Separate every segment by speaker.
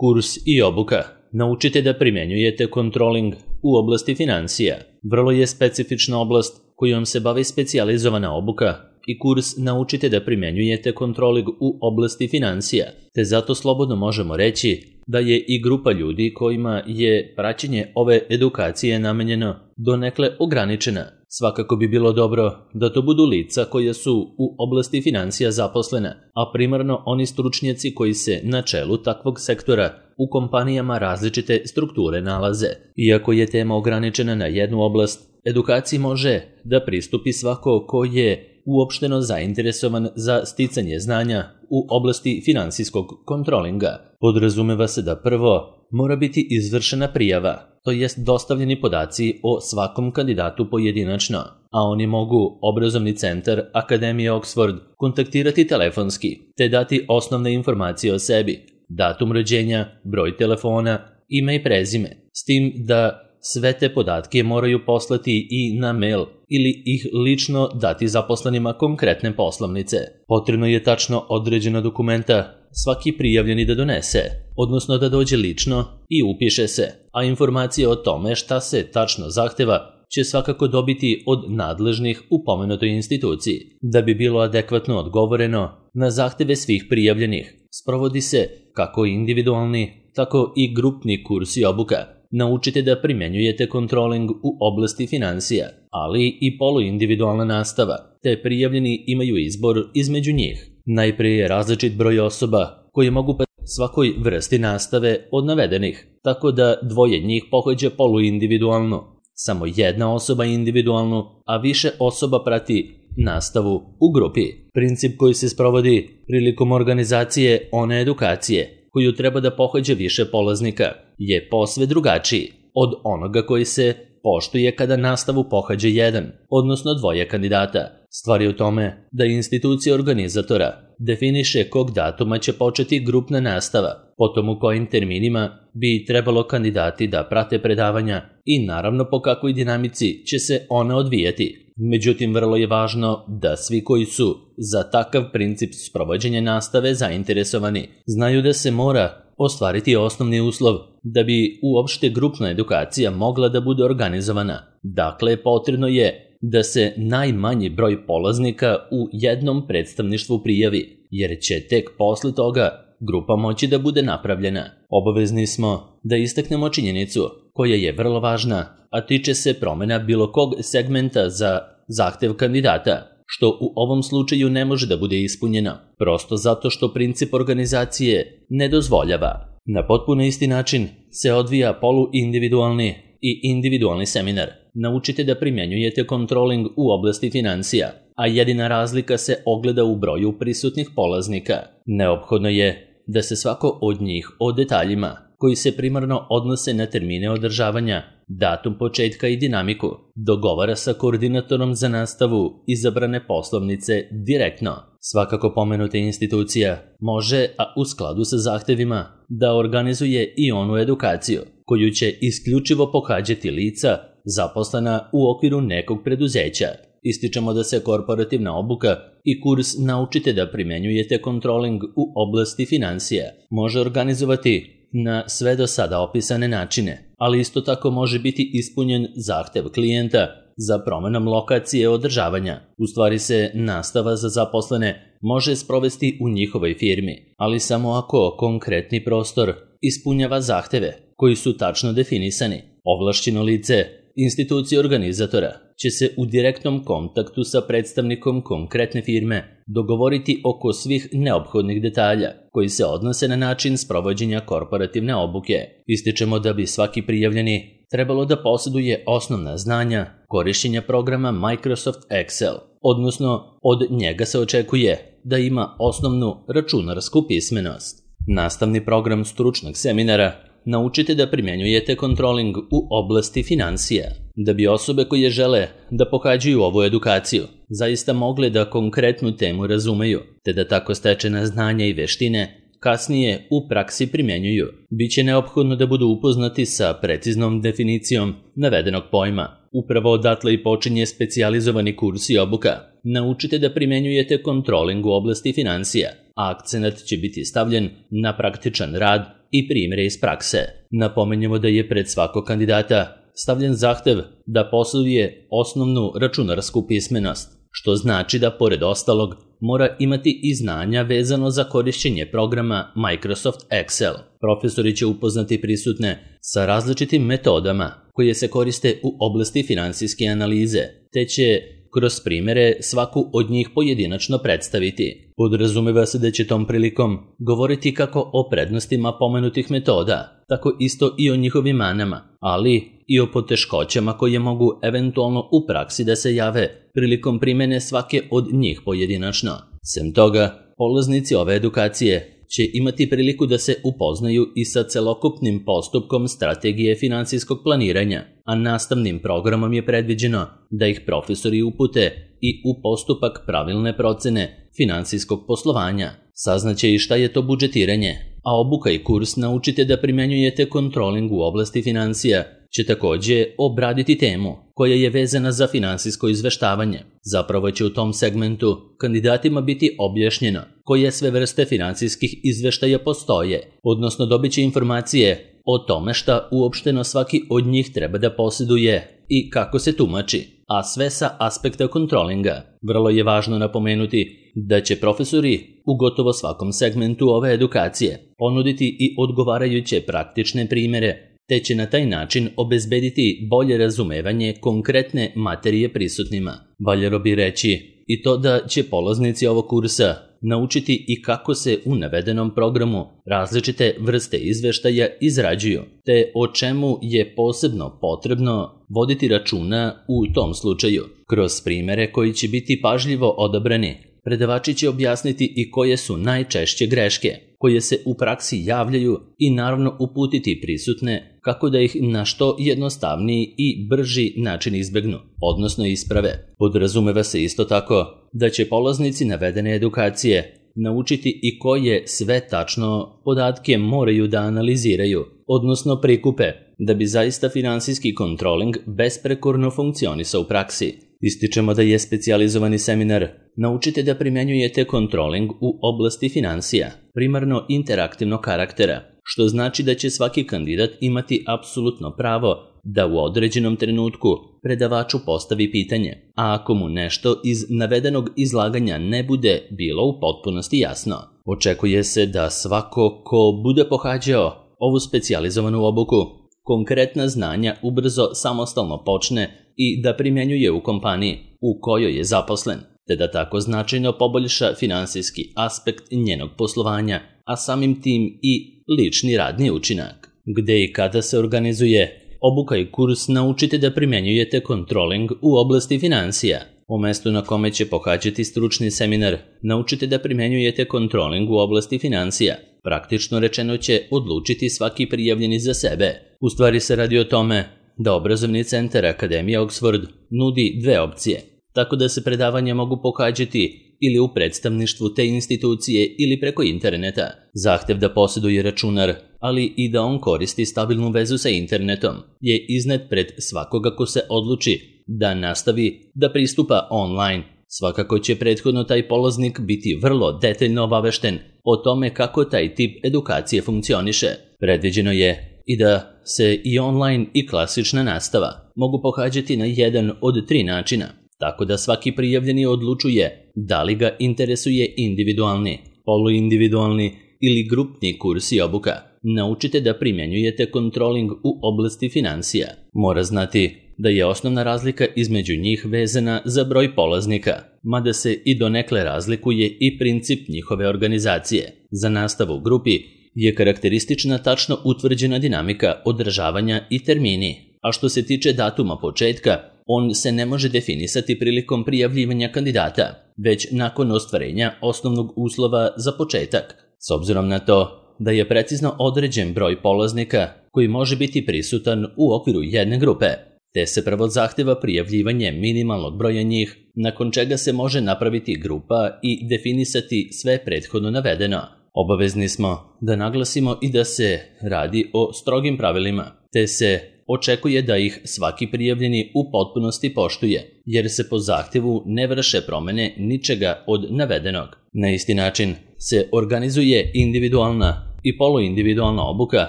Speaker 1: Kurs i obuka. Naučite da primjenjujete kontroling u oblasti financija. Vrlo je specifična oblast kojom se bavi specijalizovana obuka i kurs Naučite da primjenjujete kontroling u oblasti financija, te zato slobodno možemo reći da je i grupa ljudi kojima je praćenje ove edukacije namenjeno donekle ograničena. Svakako bi bilo dobro da to budu lica koja su u oblasti financija zaposlena, a primarno oni stručnjaci koji se na čelu takvog sektora u kompanijama različite strukture nalaze. Iako je tema ograničena na jednu oblast, edukaciji može da pristupi svako ko je uopšteno zainteresovan za sticanje znanja u oblasti finansijskog kontrolinga. Podrazumeva se da prvo mora biti izvršena prijava, to jest dostavljeni podaci o svakom kandidatu pojedinačno, a oni mogu obrazovni centar Akademije Oxford kontaktirati telefonski te dati osnovne informacije o sebi, datum rođenja, broj telefona, ime i prezime, s tim da sve te podatke moraju poslati i na mail ili ih lično dati zaposlenima konkretne poslovnice. Potrebno je tačno određena dokumenta svaki prijavljeni da donese, odnosno da dođe lično i upiše se, a informacije o tome šta se tačno zahteva će svakako dobiti od nadležnih u pomenutoj instituciji. Da bi bilo adekvatno odgovoreno na zahteve svih prijavljenih, sprovodi se kako individualni, tako i grupni kurs i obuka. Naučite da primjenjujete kontroling u oblasti financija, ali i poluindividualna nastava, te prijavljeni imaju izbor između njih. Najprije je različit broj osoba koji mogu svakoj vrsti nastave od navedenih, tako da dvoje njih pohađa poluindividualno, samo jedna osoba individualnu, a više osoba prati nastavu u grupi. Princip koji se sprovodi prilikom organizacije one edukacije koju treba da pohađa više polaznika je posve drugačiji od onoga koji se poštuje kada nastavu pohađa jedan, odnosno dvoje kandidata. Stvar je u tome da institucija organizatora definiše kog datuma će početi grupna nastava, potom u kojim terminima bi trebalo kandidati da prate predavanja i naravno po kakvoj dinamici će se ona odvijati. Međutim, vrlo je važno da svi koji su za takav princip sprovođenja nastave zainteresovani znaju da se mora ostvariti osnovni uslov da bi uopšte grupna edukacija mogla da bude organizovana. Dakle, potrebno je da se najmanji broj polaznika u jednom predstavništvu prijavi, jer će tek posle toga grupa moći da bude napravljena. Obavezni smo da istaknemo činjenicu koja je vrlo važna, a tiče se promjena bilo kog segmenta za zahtev kandidata, što u ovom slučaju ne može da bude ispunjeno, prosto zato što princip organizacije ne dozvoljava. Na potpuno isti način se odvija poluindividualni i individualni seminar. Naučite da primjenjujete kontroling u oblasti financija, a jedina razlika se ogleda u broju prisutnih polaznika. Neophodno je da se svako od njih o detaljima koji se primarno odnose na termine održavanja, datum početka i dinamiku, dogovara sa koordinatorom za nastavu izabrane poslovnice direktno. Svakako pomenuta institucija može, a u skladu sa zahtevima, da organizuje i onu edukaciju, koju će isključivo pohađati lica zaposlena u okviru nekog preduzeća. Ističemo da se korporativna obuka i kurs Naučite da primjenjujete kontroling u oblasti financija može organizovati na sve do sada opisane načine, ali isto tako može biti ispunjen zahtev klijenta za promjenom lokacije održavanja. U stvari se nastava za zaposlene može sprovesti u njihovoj firmi, ali samo ako konkretni prostor ispunjava zahteve koji su tačno definisani. Ovlašćeno lice institucije organizatora će se u direktnom kontaktu sa predstavnikom konkretne firme dogovoriti oko svih neophodnih detalja koji se odnose na način sprovođenja korporativne obuke. Ističemo da bi svaki prijavljeni trebalo da posjeduje osnovna znanja korišćenja programa Microsoft Excel, odnosno od njega se očekuje da ima osnovnu računarsku pismenost. Nastavni program stručnog seminara Naučite da primjenjujete kontroling u oblasti financija. Da bi osobe koje žele da pohađaju ovu edukaciju zaista mogle da konkretnu temu razumeju, te da tako stečena znanja i veštine kasnije u praksi primjenjuju, biće neophodno da budu upoznati sa preciznom definicijom navedenog pojma. Upravo odatle i počinje specijalizovani kurs i obuka. Naučite da primjenjujete kontroling u oblasti financija, a akcenat će biti stavljen na praktičan rad i primjere iz prakse. Napomenjemo da je pred svakog kandidata stavljen zahtev da posjeduje osnovnu računarsku pismenost, što znači da pored ostalog mora imati i znanja vezano za korišćenje programa Microsoft Excel. Profesori će upoznati prisutne sa različitim metodama koje se koriste u oblasti finansijske analize, te će kroz primjere svaku od njih pojedinačno predstaviti. Podrazumeva se da će tom prilikom govoriti kako o prednostima pomenutih metoda, tako isto i o njihovim manama, ali i o poteškoćama koje mogu eventualno u praksi da se jave prilikom primjene svake od njih pojedinačno. Sem toga, polaznici ove edukacije će imati priliku da se upoznaju i sa celokupnim postupkom strategije finansijskog planiranja, a nastavnim programom je predviđeno da ih profesori upute i u postupak pravilne procene finansijskog poslovanja. Saznaće i šta je to budžetiranje, a obuka i kurs Naučite da primenjujete kontroling u oblasti financija će također obraditi temu koja je vezana za finansijsko izveštavanje. Zapravo će u tom segmentu kandidatima biti objašnjeno koje sve vrste finansijskih izveštaja postoje, odnosno dobit će informacije o tome šta uopšteno svaki od njih treba da posjeduje i kako se tumači, a sve sa aspekta kontrolinga. Vrlo je važno napomenuti da će profesori u gotovo svakom segmentu ove edukacije ponuditi i odgovarajuće praktične primjere, te će na taj način obezbediti bolje razumevanje konkretne materije prisutnima. Valjalo bi reći i to da će polaznici ovog kursa naučiti i kako se u navedenom programu različite vrste izveštaja izrađuju, te o čemu je posebno potrebno voditi računa u tom slučaju. Kroz primjere koji će biti pažljivo odabrani, predavači će objasniti i koje su najčešće greške koje se u praksi javljaju i naravno uputiti prisutne kako da ih na što jednostavniji i brži način izbegnu, odnosno isprave. Podrazumeva se isto tako da će polaznici navedene edukacije naučiti i koje sve tačno podatke moraju da analiziraju, odnosno prikupe, da bi zaista finansijski kontroling besprekorno funkcionisao u praksi. Ističemo da je specijalizovani seminar Naučite da primenjujete kontroling u oblasti financija, primarno interaktivnog karaktera, što znači da će svaki kandidat imati apsolutno pravo da u određenom trenutku predavaču postavi pitanje, a ako mu nešto iz navedenog izlaganja ne bude bilo u potpunosti jasno. Očekuje se da svako ko bude pohađao ovu specijalizovanu obuku konkretna znanja ubrzo samostalno počne i da primjenjuje u kompaniji u kojoj je zaposlen, te da tako značajno poboljša finansijski aspekt njenog poslovanja, a samim tim i lični radni učinak. Gde i kada se organizuje obuka i kurs Naučite da primjenjujete kontroling u oblasti financija. U mestu na kome će pohađati stručni seminar Naučite da primjenjujete kontroling u oblasti financija, praktično rečeno će odlučiti svaki prijavljeni za sebe. U stvari se radi o tome da obrazovni centar Akademija Oxford nudi dve opcije, tako da se predavanja mogu pohađati ili u predstavništvu te institucije ili preko interneta. Zahtev da posjeduje računar, ali i da on koristi stabilnu vezu sa internetom, je iznet pred svakoga ko se odluči da nastavi da pristupa online. Svakako će prethodno taj polaznik biti vrlo detaljno obavešten o tome kako taj tip edukacije funkcioniše. Predviđeno je i da se i online i klasična nastava mogu pohađati na jedan od 3 načina, tako da svaki prijavljeni odlučuje da li ga interesuje individualni, poluindividualni ili grupni kurs i obuka. Naučite da primjenjujete kontroling u oblasti financija. Mora znati da je osnovna razlika između njih vezana za broj polaznika, mada se i donekle razlikuje i princip njihove organizacije. Za nastavu u grupi je karakteristična tačno utvrđena dinamika održavanja i termini, a što se tiče datuma početka, on se ne može definisati prilikom prijavljivanja kandidata, već nakon ostvarenja osnovnog uslova za početak. S obzirom na to da je precizno određen broj polaznika koji može biti prisutan u okviru jedne grupe, te se prvo zahteva prijavljivanje minimalnog broja njih, nakon čega se može napraviti grupa i definisati sve prethodno navedeno. Obavezni smo da naglasimo i da se radi o strogim pravilima, te se očekuje da ih svaki prijavljeni u potpunosti poštuje, jer se po zahtjevu ne vrše promjene ničega od navedenog. Na isti način se organizuje individualna i poluindividualna obuka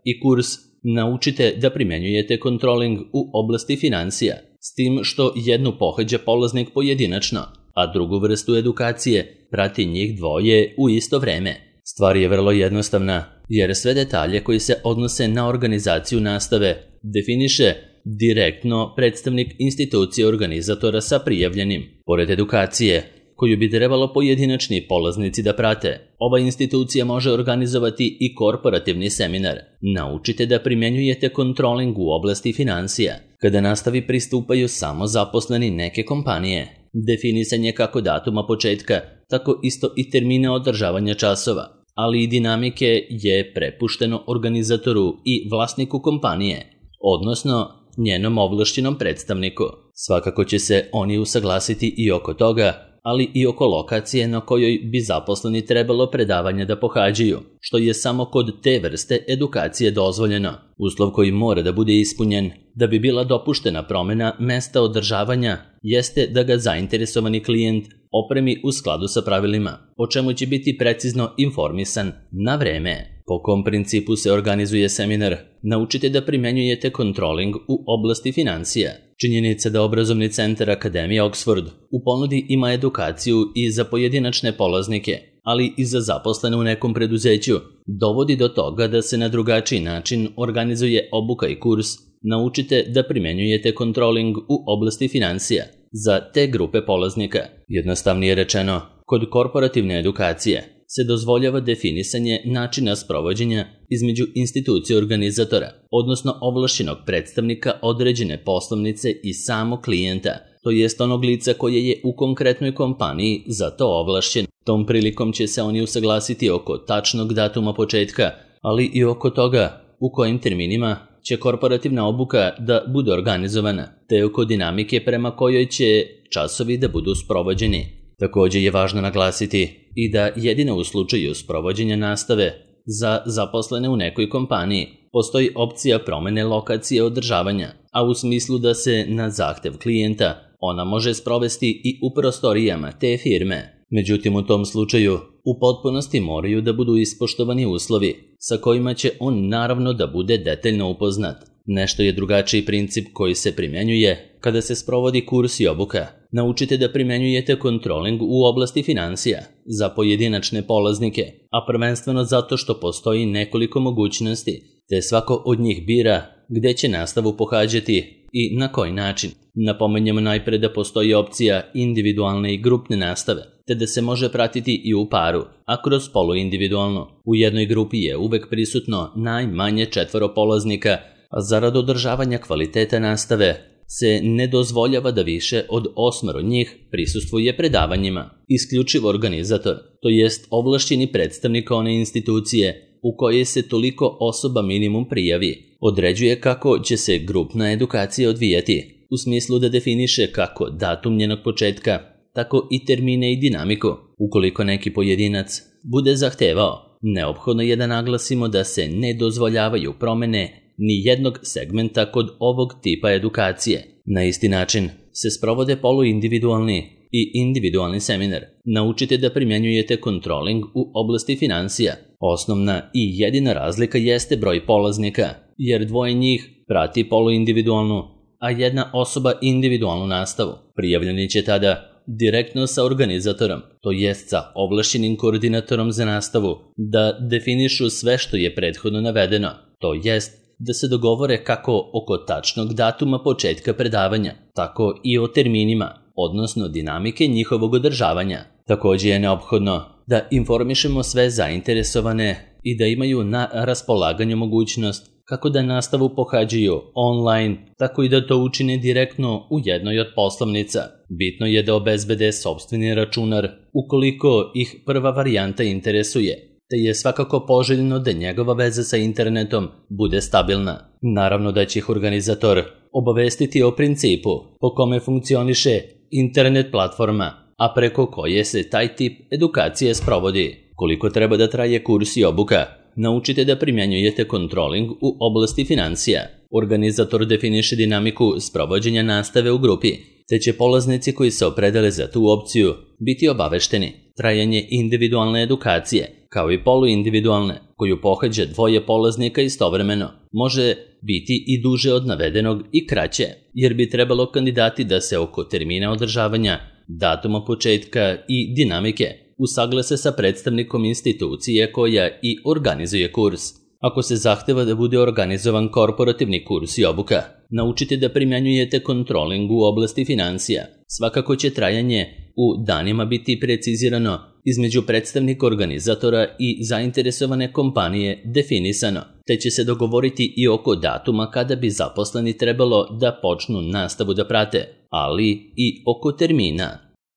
Speaker 1: i kurs Naučite da primjenjujete kontroling u oblasti financija, s tim što jednu pohađa polaznik pojedinačno, a drugu vrstu edukacije prati njih dvoje u isto vreme. Stvar je vrlo jednostavna, jer sve detalje koji se odnose na organizaciju nastave definiše direktno predstavnik institucije organizatora sa prijavljenim. Pored edukacije, koju bi trebalo pojedinačni polaznici da prate, ova institucija može organizovati i korporativni seminar. Naučite da primjenjujete kontroling u oblasti financija. Kada nastavi pristupaju samo zaposleni neke kompanije, definisan je kako datuma početka, tako isto i termina održavanja časova, ali i dinamike je prepušteno organizatoru i vlasniku kompanije, odnosno njenom ovlašćenom predstavniku. Svakako će se oni usaglasiti i oko toga, ali i oko lokacije na kojoj bi zaposleni trebalo predavanja da pohađaju, što je samo kod te vrste edukacije dozvoljeno. Uslov koji mora da bude ispunjen da bi bila dopuštena promjena mesta održavanja jeste da ga zainteresovani klijent opremi u skladu sa pravilima, o čemu će biti precizno informisan na vreme. Po kom principu se organizuje seminar? Naučite da primjenjujete kontroling u oblasti financija. Činjenica da obrazovni centar Akademije Oxford u ponudi ima edukaciju i za pojedinačne polaznike, ali i za zaposlene u nekom preduzeću, dovodi do toga da se na drugačiji način organizuje obuka i kurs Naučite da primjenjujete kontroling u oblasti financija za te grupe polaznika. Jednostavnije rečeno, kod korporativne edukacije se dozvoljava definisanje načina sprovođenja između institucije organizatora, odnosno ovlašćenog predstavnika određene poslovnice i samog klijenta, to jest onog lica koje je u konkretnoj kompaniji za to ovlašćen. Tom prilikom će se oni usaglasiti oko tačnog datuma početka, ali i oko toga u kojim terminima će korporativna obuka da bude organizovana, te oko dinamike prema kojoj će časovi da budu sprovođeni. Također je važno naglasiti i da jedino u slučaju sprovođenja nastave za zaposlene u nekoj kompaniji postoji opcija promjene lokacije održavanja, a u smislu da se na zahtev klijenta ona može sprovesti i u prostorijama te firme. Međutim, u tom slučaju u potpunosti moraju da budu ispoštovani uslovi sa kojima će on naravno da bude detaljno upoznat. Nešto je drugačiji princip koji se primjenjuje kada se sprovodi kurs i obuka. Naučite da primjenjujete kontroling u oblasti financija za pojedinačne polaznike, a prvenstveno zato što postoji nekoliko mogućnosti, te svako od njih bira gde će nastavu pohađati i na koji način. Napomenjamo najpre da postoji opcija individualne i grupne nastave, te da se može pratiti i u paru, a kroz poluindividualno. U jednoj grupi je uvek prisutno najmanje 4 polaznika, a zarad održavanja kvaliteta nastave se ne dozvoljava da više od 8 njih prisustvuje predavanjima. Isključivo organizator, to jest ovlašćeni predstavnik one institucije u kojoj se toliko osoba minimum prijavi, određuje kako će se grupna edukacija odvijati, u smislu da definiše kako datum njenog početka, tako i termine i dinamiku. Ukoliko neki pojedinac bude zahtevao, neophodno je da naglasimo da se ne dozvoljavaju promjene ni jednog segmenta kod ovog tipa edukacije. Na isti način se sprovode poluindividualni i individualni seminar. Naučite da primjenjujete kontroling u oblasti financija. Osnovna i jedina razlika jeste broj polaznika, jer dvoje njih prati poluindividualnu, a jedna osoba individualnu nastavu. Prijavljeni će tada direktno sa organizatorom, to jest sa ovlašćenim koordinatorom za nastavu, da definišu sve što je prethodno navedeno, to jest da se dogovore kako oko tačnog datuma početka predavanja, tako i o terminima, odnosno dinamike njihovog održavanja. Također je neophodno da informišemo sve zainteresovane i da imaju na raspolaganju mogućnost kako da nastavu pohađaju online, tako i da to učine direktno u jednoj od poslovnica. Bitno je da obezbede sopstveni računar ukoliko ih prva varijanta interesuje, te je svakako poželjno da njegova veza sa internetom bude stabilna. Naravno da će ih organizator obavestiti o principu po kome funkcioniše internet platforma, a preko koje se taj tip edukacije sprovodi. Koliko treba da traje kurs i obuka? Naučite da primjenjujete kontroling u oblasti financija. Organizator definiše dinamiku sprovođenja nastave u grupi, te će polaznici koji se opredele za tu opciju biti obavešteni. Trajanje individualne edukacije, kao i poluindividualne, koju pohađa dvoje polaznika istovremeno, može biti i duže od navedenog i kraće, jer bi trebalo kandidati da se oko termina održavanja, datuma početka i dinamike usaglase sa predstavnikom institucije koja i organizuje kurs. Ako se zahteva da bude organizovan korporativni kurs i obuka, naučite da primjenjujete kontroling u oblasti financija. Svakako će trajanje u danima biti precizirano između predstavnika organizatora i zainteresovane kompanije definisano, te će se dogovoriti i oko datuma kada bi zaposleni trebalo da počnu nastavu da prate, ali i oko termina.